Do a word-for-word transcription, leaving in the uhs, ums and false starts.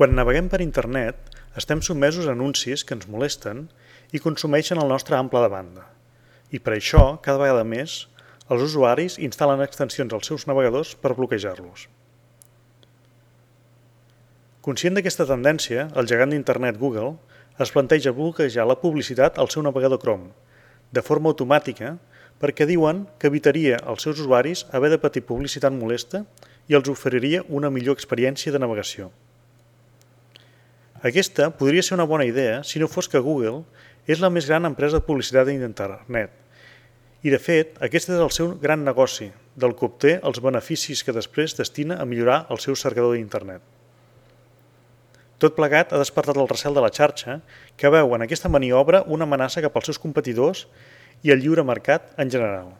Quan naveguem per internet, estem sotmesos a anuncis que ens molesten i consumeixen el nostre ample de banda. I per això, cada vegada més, els usuaris instal·len extensions als seus navegadors per bloquejar-los. Conscient d'aquesta tendència, el gegant d'internet Google es planteja bloquejar la publicitat al seu navegador Chrome, de forma automàtica, perquè diuen que evitaria als seus usuaris haver de patir publicitat molesta i els oferiria una millor experiència de navegació. Aquesta podria ser una bona idea si no fos que Google és la més gran empresa de publicitat d'internet. I de fet, aquest és el seu gran negoci, del que obté els beneficis que després destina a millorar el seu cercador d'internet. Tot plegat ha despertat el recel de la xarxa, que veu en aquesta maniobra una amenaça cap als seus competidors i al lliure mercat en general.